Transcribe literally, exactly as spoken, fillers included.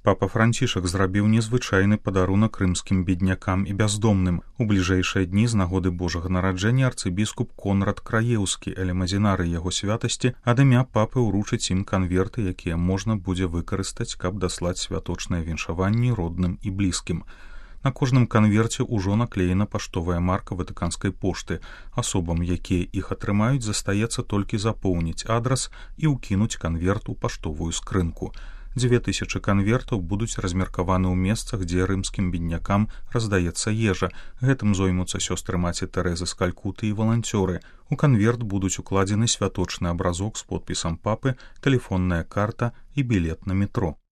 Папа Францішак зрабіў незвычайны падарунак рымскім беднякам і бяздомным. У бліжэйшыя дні з нагоды Божага нараджэння арцыбіскуп Конрад Краеўскі, элемазінары яго святасці, ад імя папы ўручыць ім канверты, якія можна будзе выкарыстаць, каб даслаць святочныя віншаванні родным і блізкім. На кожным канверце ўжо наклеена паштовая марка ватыканскай пошты. Асобам, якія іх атрымаюць, застаецца толькі запоўніць адрас і ўкінуць канверт у паштовую скрынку. Дзве тысячы канвертаў будуць размеркаваны ў месцах, дзе рымскім беднякам раздаецца ежа. Гэтым зоймуцца сёстры маці Тэрэзы з Калькуты і валанцёры. У канверт будуць укладзены святочны абразок з подпісам папы, тэлефонная карта і білет на метро.